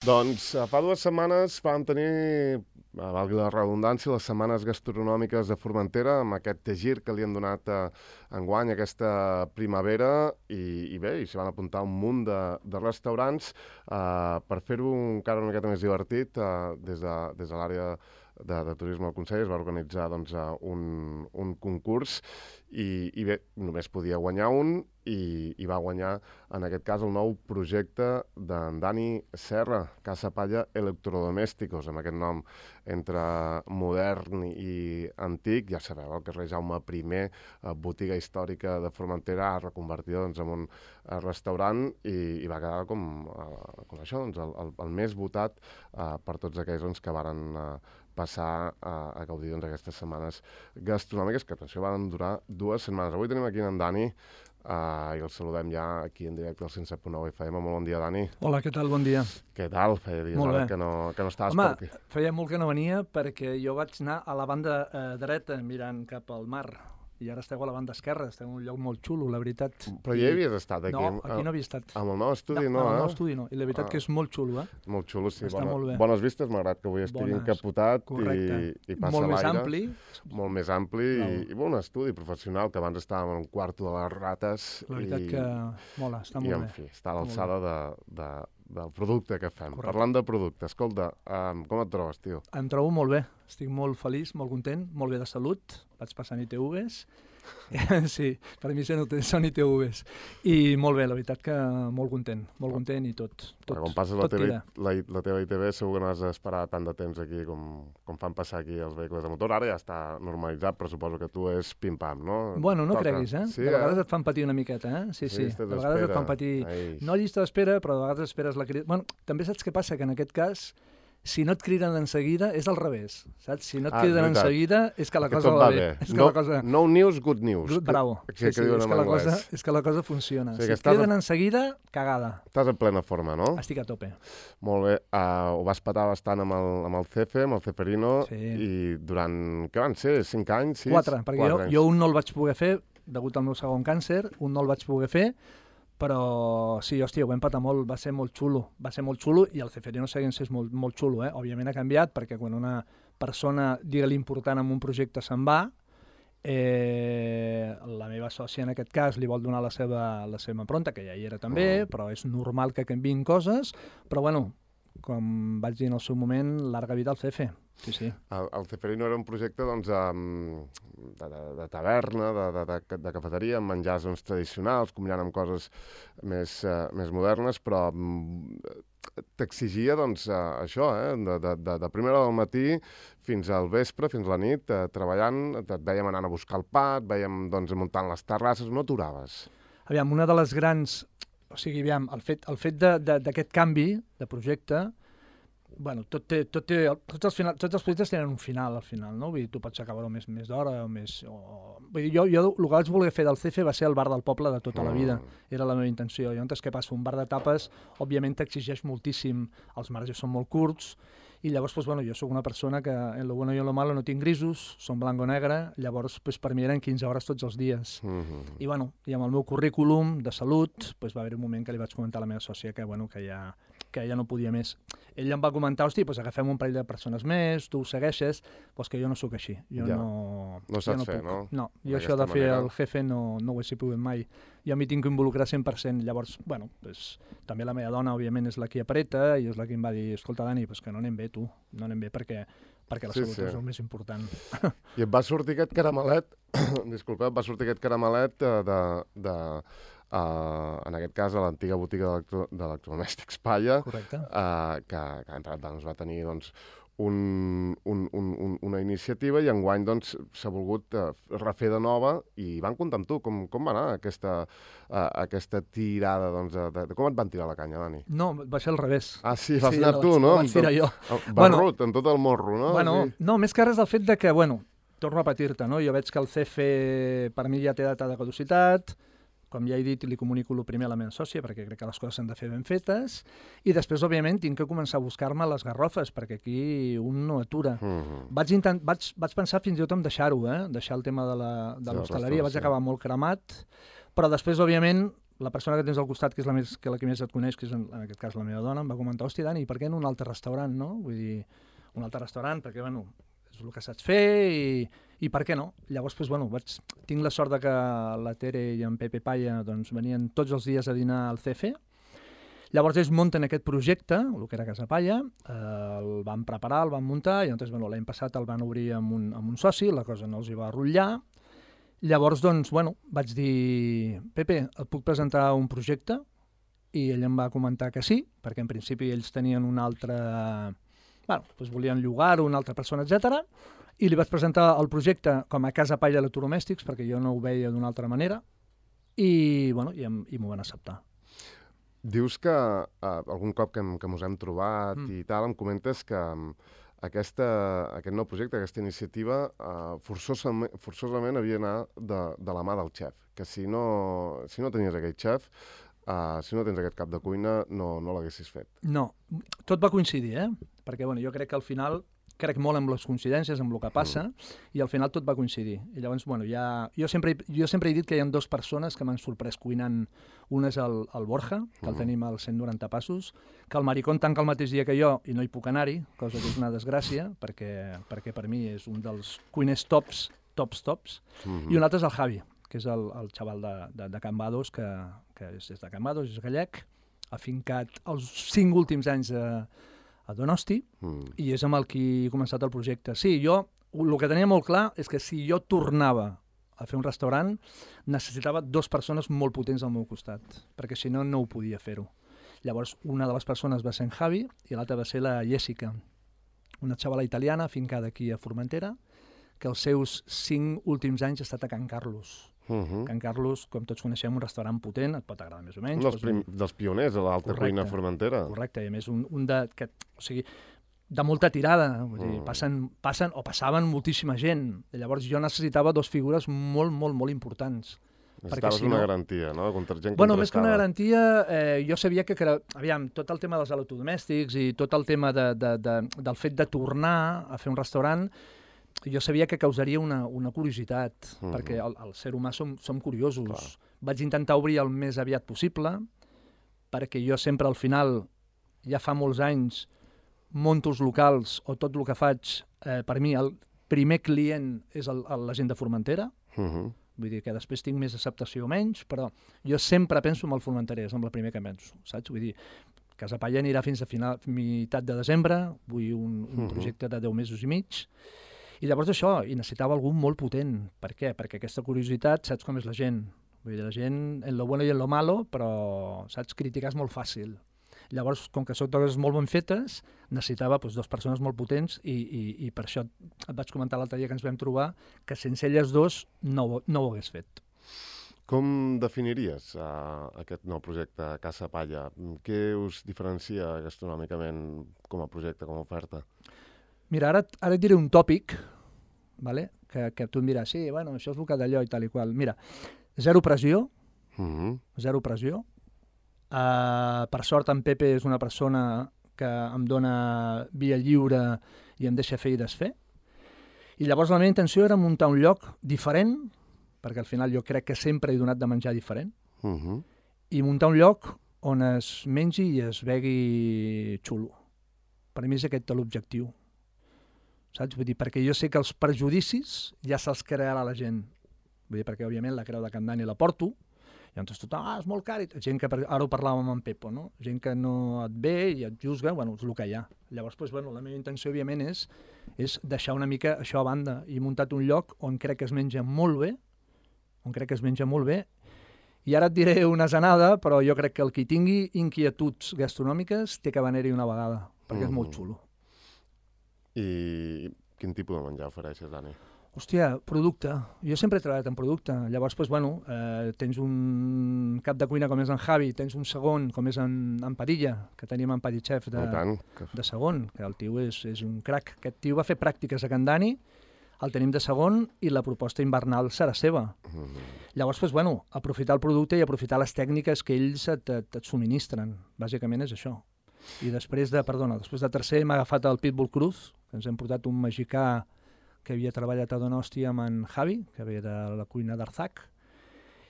Doncs fa 2 setmanes vam tenir, valgui la redundància, les setmanes gastronòmiques de Formentera, amb aquest gir que li han donat enguany, aquesta primavera, i bé, s'hi van apuntar un munt de restaurants per fer-ho encara una miqueta més divertit. Des de l'àrea de turisme del Consell es va organitzar un concurs i bé, només podia guanyar un i va guanyar, en aquest cas, el nou projecte d'en Dani Serra, Casa Palla Electrodomésticos, amb aquest nom entre modern i antic. Ja sabeu, el carrer Jaume I, botiga històrica de Formentera, reconvertida en un restaurant i va quedar com això, el més votat per tots aquells que varen passar a gaudir d'aquestes setmanes gastronòmiques, que atenció, van durar 2 setmanes. Avui tenim aquí en Dani i el saludem ja aquí en directe al 107.9 FM. Molt bon dia, Dani. Hola, què tal? Bon dia. Què tal? Feia dies ara que no estaves per aquí. Home, feia molt que no venia perquè jo vaig anar a la banda dreta mirant cap al mar. I ara esteu a la banda esquerra, esteu en un lloc molt xulo, la veritat. Però ja hi havies estat aquí? No, aquí no havia estat. Amb el nou estudi no, amb el nou estudi no. I la veritat que és molt xulo, Molt xulo, sí. Està molt bé. Bones vistes, malgrat que avui estigui encapotat i passa l'aire. Molt més ampli. Molt més ampli i bon estudi professional, que abans estàvem en un quarto de les rates. La veritat que mola, està molt bé. I, en fi, està a l'alçada del producte que fem. Correcte. Parlant de producte, escolta, com et trobes, tio? Em trobo molt bé, estic molt feliç, molt content, molt bé de salut, vaig passant ITVs. Sí, per mi són ITVs. I molt bé, la veritat que molt content i tot. Quan passes la teva ITV segur que no has d'esperar tant de temps aquí com fan passar aquí els vehicles de motor. Ara ja està normalitzat, però suposo que tu és pim-pam, no? Bueno, no creguis, Sí, de vegades et fan patir una miqueta, Sí. De vegades et fan patir... No llista d'espera, però de vegades esperes la crida... Bueno, també saps què passa? Que en aquest cas, si no et criden en seguida, és al revés, saps? Si no et criden en seguida, és que la cosa va bé. No news, good news. Bravo. És que la cosa funciona. Si et criden en seguida, cagada. Estàs en plena forma, no? Estic a tope. Molt bé. Ho vas patar bastant amb el Cefe, amb el Ceferino, i durant, què van ser, 5 anys? 4, perquè jo un no el vaig poder fer, degut al meu segon càncer, un no el vaig poder fer, però sí, hòstia, ho vam patar molt, va ser molt xulo, i el Ceferino seguint és molt xulo, Òbviament ha canviat, perquè quan una persona, digue-li important en un projecte, se'n va, la meva sòcia en aquest cas li vol donar la seva impronta, que ja hi era també, però és normal que canviïn coses, però bueno, com vaig dir en el seu moment, larga vida al Cefe. Sí. El Ceferino era un projecte de taverna, de cafeteria, amb menjars tradicionals, combinant amb coses més modernes, però t'exigia això, de primera hora del matí fins al vespre, fins a la nit, treballant, et vèiem anant a buscar el pa, et vèiem muntant les terrasses, no aturaves. Aviam, una de les grans... O sigui, aviam, el fet d'aquest canvi de projecte, bueno, tots els projectes tenen un final, al final, no? Vull dir, tu pots acabar-ho més d'hora o més... Vull dir, jo el que vaig voler fer del CF va ser el bar del poble de tota la vida. Era la meva intenció. Llavors, què passa? Un bar de tapes, òbviament, t'exigeix moltíssim. Els marges són molt curts, i llavors, bueno, jo sóc una persona que en lo bueno i en lo malo no tinc grisos, són blanc o negre, llavors per mi eren 15 hores tots els dies. I bueno, i amb el meu currículum de salut, va haver un moment que li vaig comentar a la meva sòcia que ja no podia més. Ell em va comentar, hosti, agafem un parell de persones més, tu ho segueixes, que jo no sóc així. Jo no saps fer, no? No, jo això de fer el jefe no ho he pogut mai. Jo m'hi tinc que involucrar 100%. Llavors, bueno, també la meva dona, òbviament, és la que apreta i és la que em va dir, escolta, Dani, que no anem bé, tu, no anem bé perquè la salut és el més important. I et va sortir aquest caramelet, en aquest cas a l'antiga botiga d'electrodomèstics Palla, que ens va tenir una iniciativa, i enguany s'ha volgut refer de nova, i van comptar amb tu. Com va anar aquesta tirada? Com et van tirar la canya, Dani? No, va ser al revés. Ah, sí, vas anar tu, no? Vaig tirar jo. Barrut, amb tot el morro, no? No, més que res del fet que, torno a repetir-te, jo veig que el CF per mi ja té data de caducitat. Com ja he dit, li comunico el primer a la meva sòcia, perquè crec que les coses s'han de fer ben fetes, i després, òbviament, tinc que començar a buscar-me les garrofes, perquè aquí un no atura. Vaig pensar fins i tot en deixar-ho, deixar el tema de l'hostaleria, vaig acabar molt cremat, però després, òbviament, la persona que tens al costat, que és la que més et coneix, que és en aquest cas la meva dona, em va comentar, hòstia, Dani, per què en un altre restaurant, no? Vull dir, un altre restaurant, perquè, bueno, és el que saps fer i per què no? Llavors, doncs, bueno, tinc la sort de que la Tere i en Pepe Paya doncs, venien tots els dies a dinar al CF. Llavors ells munten aquest projecte, el que era Casa Paya, el van preparar, el van muntar, i llavors, bueno, l'any passat el van obrir amb un soci, la cosa no els hi va rotllar. Llavors, doncs, bueno, vaig dir, Pepe, et puc presentar un projecte? I ell em va comentar que sí, perquè en principi ells tenien un altre... Bueno, doncs volien llogar-ho, una altra persona, etc. I li vaig presentar el projecte com a Casa Paya Electrodomèstics, perquè jo no ho veia d'una altra manera, i, bueno, i m'ho van acceptar. Dius que algun cop que ens hem trobat i tal, em comentes que aquest nou projecte, aquesta iniciativa, forçosament havia d'anar de la mà del xef, que si no tenies aquell xef, si no tens aquest cap de cuina, no l'haguessis fet. No, tot va coincidir, perquè bueno, jo crec que al final, crec molt en les coincidències, amb el que passa, i al final tot va coincidir. I llavors, bueno, jo sempre he dit que hi ha dues persones que m'han sorprès cuinant. Una és el Borja, que el tenim als 190 passos, que el Maricón tanca el mateix dia que jo i no hi puc anar-hi, cosa que és una desgràcia, perquè per mi és un dels cuiners tops, i un altre és el Javi, que és el xaval de Can Bados, que és de Can Bados, és gallec, afincat els 5 últims anys a Donosti, i és amb el qui he començat el projecte. Sí, jo el que tenia molt clar és que si jo tornava a fer un restaurant, necessitava 2 persones molt potents al meu costat, perquè si no, no ho podia fer-ho. Llavors, una de les persones va ser en Javi i l'altra va ser la Jessica, una xavala italiana afincada aquí a Formentera, que els seus 5 últims anys ha estat a Can Carlos. Can Carlos, com tots coneixem, un restaurant potent, et pot agradar més o menys. Dels pioners de l'alta cuina Formentera. Correcte, i a més de molta tirada, vull dir, passaven moltíssima gent. Llavors jo necessitava 2 figures molt importants. Necessitaves una garantia, no? Gent contrastada. Bueno, més que una garantia, jo sabia que, aviam, tot el tema dels electrodomèstics i tot el tema del fet de tornar a fer un restaurant, jo sabia que causaria una curiositat, perquè el ser humà som curiosos. Clar. Vaig intentar obrir el més aviat possible, perquè jo sempre al final, ja fa molts anys, monto els locals o tot el que faig, per mi el primer client és la gent de Formentera, vull dir que després tinc més acceptació o menys, però jo sempre penso en el formenterès, amb el primer que penso, saps? Vull dir, Casa Paya anirà fins a meitat de desembre, vull un projecte de 10 mesos i mig, i llavors això, i necessitava algú molt potent. Per què? Perquè aquesta curiositat, saps com és la gent? Vull dir, la gent, en lo bueno i en lo malo, però, saps, criticar és molt fàcil. Llavors, com que són coses molt ben fetes, necessitava 2 persones molt potents i per això et vaig comentar l'altre dia que ens vam trobar que sense elles 2 no ho hagués fet. Com definiries aquest nou projecte Casa Paya? Què us diferencia gastronòmicament com a projecte, com a oferta? Mira, ara et diré un tòpic, vale? que tu em diràs, sí, bueno, això és el que d'allò i tal i qual. Mira, zero pressió, zero pressió. Per sort, en Pepe és una persona que em dona via lliure i em deixa fer i desfer. I llavors la meva intenció era muntar un lloc diferent, perquè al final jo crec que sempre he donat de menjar diferent, i muntar un lloc on es mengi i es begui xulo. Per mi és aquest l'objectiu. Saps? Vull dir, perquè jo sé que els prejudicis ja se'ls crearà la gent. Vull dir, perquè òbviament la creu de Can Dani la porto, i llavors tothom, és molt car. Gent que, ara ho parlàvem amb en Pepo, no? Gent que no et ve i et juzga, bueno, és el que hi ha. Llavors, doncs, bueno, la meva intenció, òbviament, és deixar una mica això a banda. I he muntat un lloc on crec que es menja molt bé, i ara et diré una zanada, però jo crec que el qui tingui inquietuds gastronòmiques té que venir-hi una vegada, perquè és molt xulo. I quin tipus de menjar ofereixes, Dani? Hòstia, producte. Jo sempre he treballat en producte. Llavors, doncs, bueno, tens un cap de cuina com és en Javi, tens un segon com és en Padilla, que tenim en Paditxef de segon, que el tio és un crac. Aquest tio va fer pràctiques a Can Dani, el tenim de segon i la proposta invernal serà seva. Llavors, doncs, bueno, aprofitar el producte i aprofitar les tècniques que ells et subministren. Bàsicament és això. I després de tercer m'ha agafat el Pitbull Cruz, que ens hem portat un mexicà que havia treballat a Donosti amb en Javi, que ve de la cuina d'Arzac,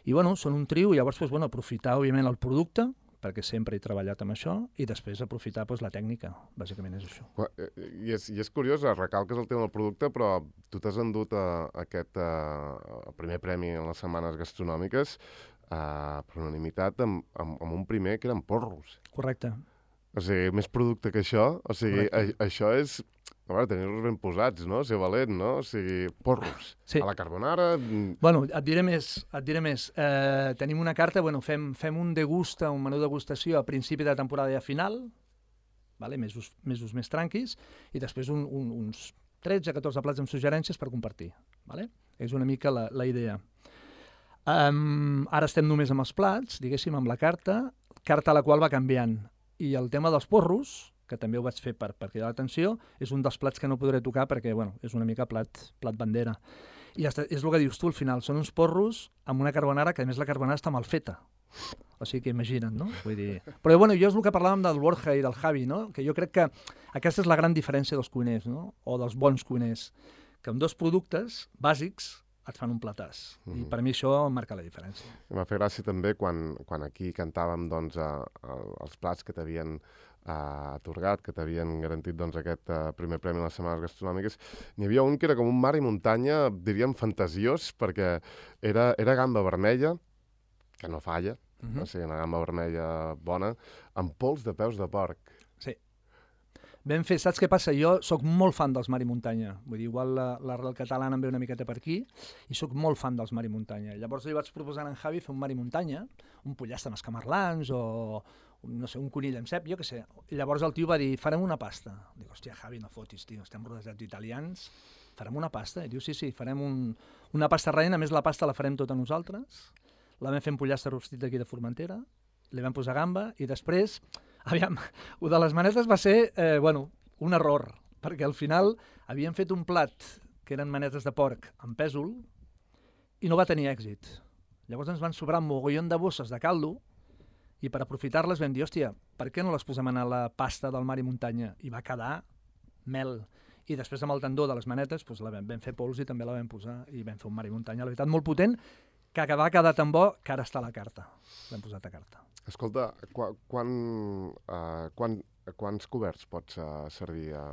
I, bueno, són un trio, i llavors, doncs, bueno, aprofitar, òbviament, el producte, perquè sempre he treballat amb això, i després aprofitar doncs, la tècnica, bàsicament és això. I és curiós, recalques el tema del producte, però tu t'has endut aquest primer premi en les setmanes gastronòmiques per unanimitat amb un primer que eren porros. Correcte. O sigui, més producte que això, o sigui, això és... A veure, tenir-los ben posats, no? Ser valent, no? O sigui, porros. Sí. A la carbonara... Bueno, et diré més. Tenim una carta, bueno, fem un degusta, un menú degustació a principi de temporada i a final, vale? mesos més tranquis, i després uns 13-14 plats amb suggerències per compartir. Vale? És una mica la idea. Ara estem només amb els plats, diguéssim, amb la carta a la qual va canviant. I el tema dels porros, que també ho vaig fer per cridar l'atenció, és un dels plats que no podré tocar perquè, bueno, és una mica plat bandera. I és el que dius tu al final, són uns porros amb una carbonara que a més la carbonara està mal feta. O sigui que imagina't, no? Vull dir... Però bueno, jo és el que parlàvem del Borja i del Javi, no? Que jo crec que aquesta és la gran diferència dels cuiners, no? O dels bons cuiners, que amb dos productes bàsics et fan un platàs. I per mi això marca la diferència. M'ha fet gràcia també quan aquí cantàvem doncs, els plats que t'havien atorgat, que t'havien garantit doncs, aquest primer premi a les setmanes gastronòmiques. N'hi havia un que era com un mar i muntanya, diríem fantasiós, perquè era gamba vermella, que no falla, o sigui, una gamba vermella bona, amb pols de peus de porc. Sí. Ben fet. Saps què passa? Jo sóc molt fan dels mar i muntanya. Vull dir, igual l'arrel catalana em ve una miqueta per aquí, i sóc molt fan dels mar i muntanya. Llavors li vaig proposar a en Javi fer un mar i muntanya, un pollastre amb escamarlans o no sé, un conill amb cep, jo què sé. I llavors el tio va dir, farem una pasta. Dic, hòstia, Javi, no fotis, tio, estem rodejats d'italians, farem una pasta? I diu, sí, farem una pasta rellena, a més la pasta la farem tota nosaltres, la vam fer un pollastre rostit d'aquí de Formentera, li vam posar gamba, i després, aviam, el de les manetes va ser, un error, perquè al final havíem fet un plat que eren manetes de porc amb pèsol i no va tenir èxit. Llavors ens van sobrar un mogollon de bosses de caldo, i per aprofitar-les vam dir, hòstia, per què no les posem a la pasta del mar i muntanya? I va quedar mel. I després amb el tendó de les manetes doncs vam fer pols i també la vam posar i vam fer un mar i muntanya, la veritat, molt potent, que va quedar tan bo que ara està a la carta. L'hem posat a carta. Escolta, quants coberts pots servir a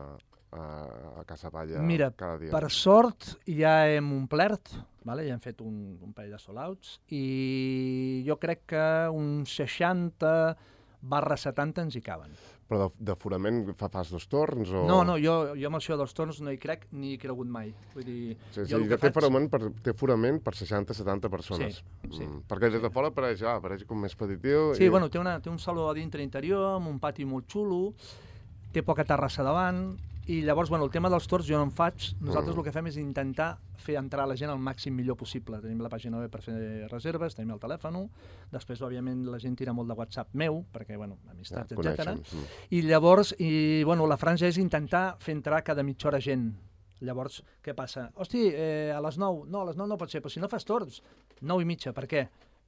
Casa Palla cada dia? Mira, per sort ja hem omplert, ja hem fet un parell de sold-outs, i jo crec que uns 60/70 ens hi caben. Però d'aforament fas dos torns? O... No, jo amb això dels torns no hi crec ni hi he cregut mai. Vull dir, sí, té aforament per 60-70 persones. Sí. Perquè des de fora apareix com més petitiu. Sí, bueno, té un saló a dintre interior, amb un pati molt xulo, té poca terrassa davant, i llavors, el tema dels torns jo no en faig. Nosaltres el que fem és intentar fer entrar la gent al màxim millor possible. Tenim la pàgina web per fer reserves, tenim el telèfon, després, òbviament, la gent tira molt de WhatsApp meu, perquè, amistats, etc. I llavors, la franja és intentar fer entrar cada mitja hora gent. Llavors, què passa? Hosti, a les 9? No, a les 9 no pot ser, però si no fas torns, 9:30, per què?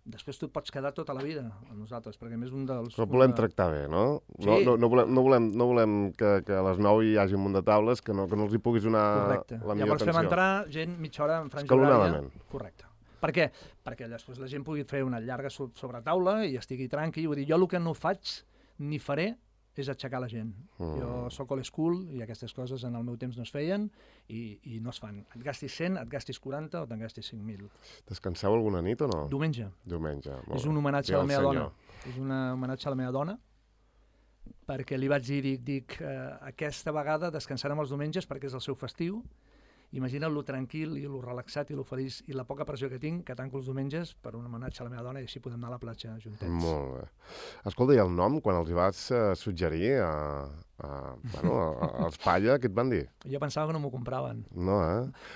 Després tu et pots quedar tota la vida amb nosaltres, perquè a més un dels... Però volem tractar bé, no? Sí. No volem que a les 9 hi hagi un munt de taules, que no els hi puguis donar la millor atenció. Llavors fem entrar gent mitja hora en franja horària. Correcte. Per què? Perquè després la gent pugui fer una llarga sobretaula i estigui tranqui. Vull dir, jo el que no faig ni faré és aixecar la gent. Jo soc old school i aquestes coses en el meu temps no es feien i no es fan. Et gastis 100, et gastis 40 o te'n gastis 5.000. Descanseu alguna nit o no? Diumenge. És un homenatge a la meva dona. És un homenatge a la meva dona, perquè li vaig dir, aquesta vegada descansarem els diumenges perquè és el seu festiu. Imagina't lo tranquil i lo relaxat i lo feliç i la poca pressió que tinc, que tanco els diumenges per un homenatge a la meva dona i així podem anar a la platja juntets. Molt bé. Escolta, i el nom, quan els hi vas suggerir als Palla, què et van dir? Jo pensava que no m'ho compraven. No,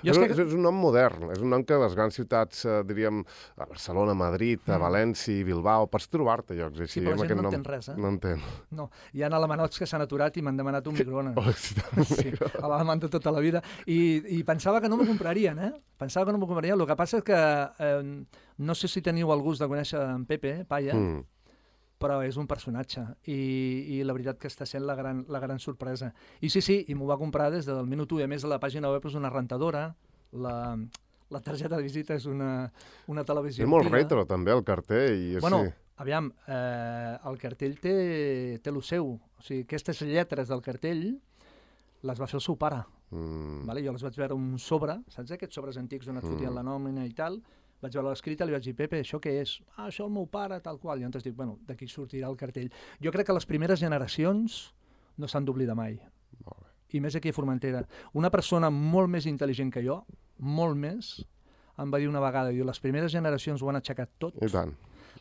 és un nom modern, és un nom que a les grans ciutats, diríem, a Barcelona, Madrid, a València, Bilbao, pots trobar-te llocs així. Sí, però la gent no entén res, No entén. No, hi ha alemanots que s'han aturat i m'han demanat un microones. Sí, a l'alemany de tota la vida. I pensava que no m'ho comprarien, Pensava que no m'ho comprarien. El que passa és que no sé si teniu el gust de conèixer en Pepe Palla, però és un personatge i la veritat que està sent la gran sorpresa. I sí, i m'ho va comprar des del minut 1, i a més la pàgina web és una rentadora, la targeta de visita és una televisió És molt antiga. retro, també, el cartell. I Bueno, sí. aviam, el cartell té el seu. O sigui, aquestes lletres del cartell les va fer el seu pare. Vale? Jo les vaig veure un sobre, saps aquests sobres antics on et fotien la nòmina i tal? Vaig veure l'escrita, li vaig dir, Pepe, això què és? Ah, això el meu pare, tal qual. I llavors dic, bueno, d'aquí sortirà el cartell. Jo crec que les primeres generacions no s'han d'oblidar mai. Molt bé. I més aquí a Formentera. Una persona molt més intel·ligent que jo, molt més, em va dir una vegada, diu, les primeres generacions ho han aixecat tot, I tant.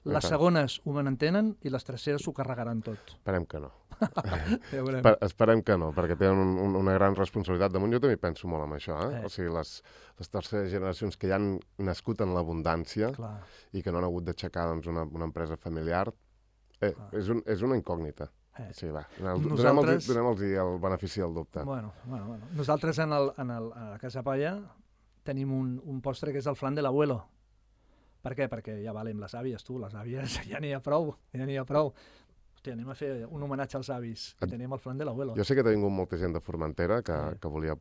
les segones ho manentenen i les terceres s'ho carregaran tot. Esperem que no. Ja veurem. Esperem que no, perquè tenen una gran responsabilitat damunt. Jo també penso molt en això, O sigui, les terceres generacions que ja han nascut en l'abundància Clar. i que no han hagut d'aixecar doncs, una empresa familiar, és una incògnita. Sí, va. Nosaltres... Donem-los el benefici del dubte. Bueno. Nosaltres a la Casa Palla tenim un postre que és el flan de l'abuelo. Per què? Perquè ja valem les àvies, tu, les àvies ja n'hi ha prou, Hòstia, anem a fer un homenatge als avis. Tenim el flan de l'abuelo. Jo sé que ha vingut molta gent de Formentera que volia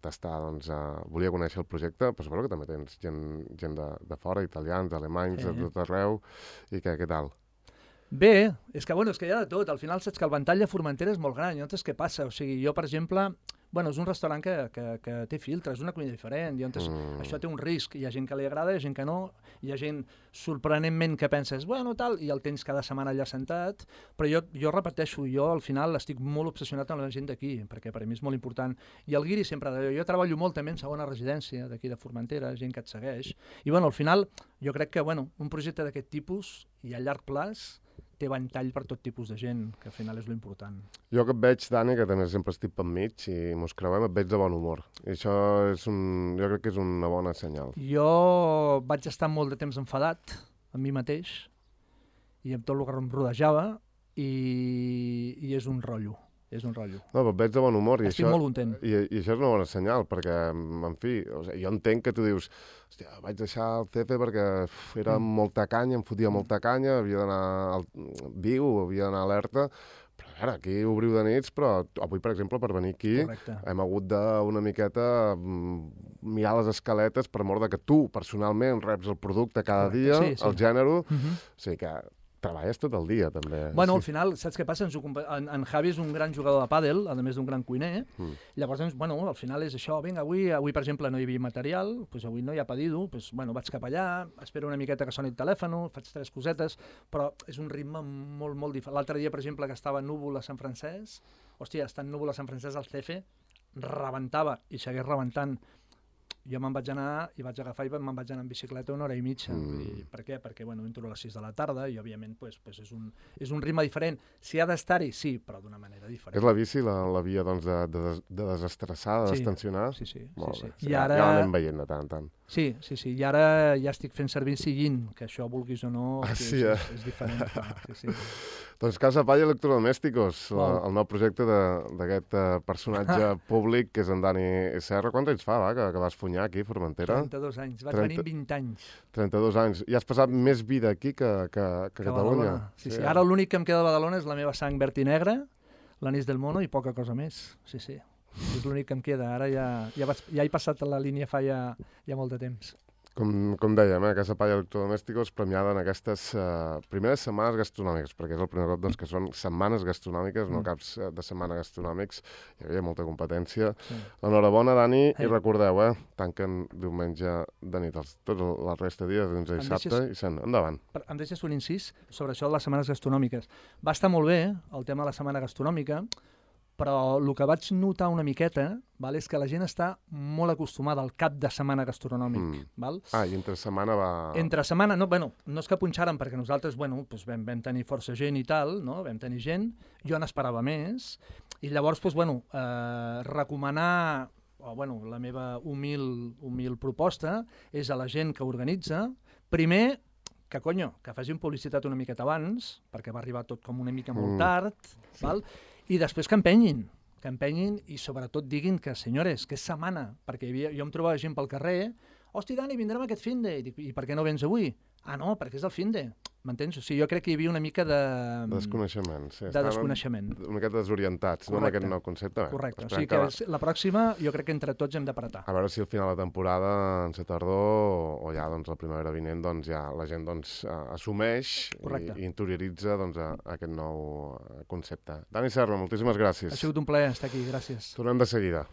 tastar, doncs, volia conèixer el projecte, però suposo que també tens gent de fora, italians, alemanys, de tot arreu, i què tal? Bé, és que hi ha de tot. Al final saps que el ventall de Formentera és molt gran. Llavors, què passa? O sigui, jo, per exemple, és un restaurant que té filtres, és una cuina diferent. Llavors, això té un risc. Hi ha gent que li agrada, hi ha gent que no. Hi ha gent, sorprenentment, que penses, tal, i el tens cada setmana allà sentat. Però jo repeteixo, jo al final estic molt obsessionat amb la gent d'aquí, perquè per a mi és molt important. I el guiri sempre, jo treballo molt també en segona residència d'aquí de Formentera, gent que et segueix. I al final, jo crec que un projecte d'aquest tipus i a llarg plaç té ventall per tot tipus de gent, que al final és l'important. Jo que et veig, Dani, que també sempre estic pel mig i mos creuem, et veig de bon humor. I això jo crec que és una bona senyal. Jo vaig estar molt de temps enfadat amb mi mateix i amb tot el que em rodejava i és un rotllo. No, però et veig de bon humor. Estic molt content. I això és una bona senyal, perquè, en fi, jo entenc que tu dius, hòstia, vaig deixar el CF perquè era molta canya, em fotia molta canya, havia d'anar al Viu, havia d'anar alerta, però a veure, aquí obriu de nits, però avui, per exemple, per venir aquí, hem hagut d'una miqueta mirar les escaletes per mort de que tu, personalment, reps el producte cada dia, el gènere, o sigui que treballes tot el dia, també. Al final, saps què passa? En Javi és un gran jugador de pàdel, a més d'un gran cuiner. Llavors, al final és això. Vinga, avui, per exemple, no hi havia material, doncs avui no hi ha pedido, doncs, vaig cap allà, espero una miqueta que soni el telèfon, faig 3 cosetes, però és un ritme molt, molt diferent. L'altre dia, per exemple, que estava núvol a Sant Francesc, estant núvol a Sant Francesc, el CF rebentava i segueix rebentant. Jo me'n vaig anar i vaig agafar i me'n vaig anar en bicicleta 1 hora i mitja. Per què? Perquè entro a les 6 de la tarda i, òbviament, és un ritme diferent. Si ha d'estar-hi, sí, però d'una manera diferent. És la bici la via doncs, de desestressar, de destensionar? Sí. Molt bé. Ja l'anem veient de tant en tant. Sí. I ara ja estic fent servir Sillín, que això, vulguis o no, és diferent. Sí. Doncs Casa Palla Electrodomésticos, el nou projecte d'aquest personatge públic que és en Dani Serra. Quants anys fa, que vas funyar aquí a Formentera? 32 anys. Vaig venir 20 anys. 32 anys. I has passat més vida aquí que Catalunya. Sí. Ara l'únic que em queda de Badalona és la meva sang verd i negra, l'anís del mono i poca cosa més. Sí. És l'únic que em queda. Ara ja he passat la línia fa ja molt de temps. Com dèiem, Casa Palla Electrodomésticos premiada en aquestes primeres setmanes gastronòmiques, perquè és el primer cop doncs, que són setmanes gastronòmiques, no caps de setmana gastronòmics. Hi havia molta competència. Enhorabona, Dani, i recordeu, tanquen diumenge de nit, tota la resta de dies, doncs dissabte, i endavant. Em deixes un incís sobre això de les setmanes gastronòmiques. Va estar molt bé el tema de la setmana gastronòmica, però el que vaig notar una miqueta és que la gent està molt acostumada al cap de setmana gastronòmic. I entre setmana va... Entre setmana, no és que punxàrem, perquè nosaltres vam tenir força gent i tal, vam tenir gent, jo n'esperava més, i llavors recomanar, la meva humil proposta és a la gent que organitza, primer, que facin publicitat una miqueta abans, perquè va arribar tot com una mica molt tard, i després que empenyin i sobretot diguin que, senyores, que és setmana, perquè jo em trobava gent pel carrer, hosti, Dani, vindrem aquest finde, i per què no vens avui? Ah, no, perquè és el finde. M'entens? O sigui, jo crec que hi havia una mica de... Desconeixement, sí. De desconeixement. Una miqueta desorientats, no, amb aquest nou concepte. Correcte. O sigui que la pròxima jo crec que entre tots hem d'apretar. A veure si al final de temporada, en la tardor, o ja doncs, la primavera vinent, doncs, ja la gent doncs, assumeix i interioritza doncs, aquest nou concepte. Dani Serra, moltíssimes gràcies. Ha sigut un plaer estar aquí, gràcies. Tornem de seguida.